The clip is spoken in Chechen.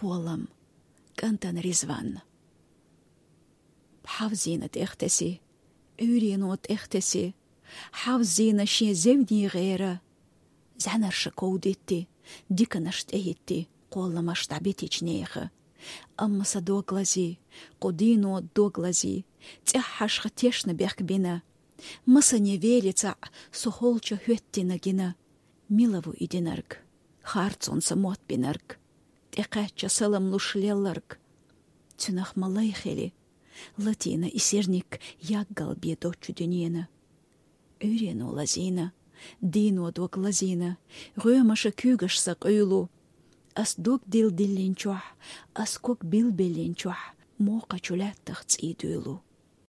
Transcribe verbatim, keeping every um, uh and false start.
Болам, кӀантана Ризванна. Хьавзийна тӀехтаси, Ӏуьйрено тӀехтаси, хьавзийна шен зевне гӀера, зӀанарша ков дитти, диканаш тӀехӀитти, кхолламаш дӀабитича неха. Амма са дог лази, кху дийно дог лази, цӀеххьашха тешна бехк бина. Масане веле цаӀ со холча хӀоьттина гина. Мила ву и динарг, харцонца мотт бинарг, тӀекхаьчча салам луш лелларг? Цуьнах ма лай хили, латийна и сирник яггал бе дочу дуьнена. Ӏуьйрено лазийна, дийно дог лазийна, гӀоьмаша куьйгаш са къуьйлу. Ас дог дилдиллинчохь, ас ког билбиллинчохь, мокхачу лаьттах цӀий дуьйлу.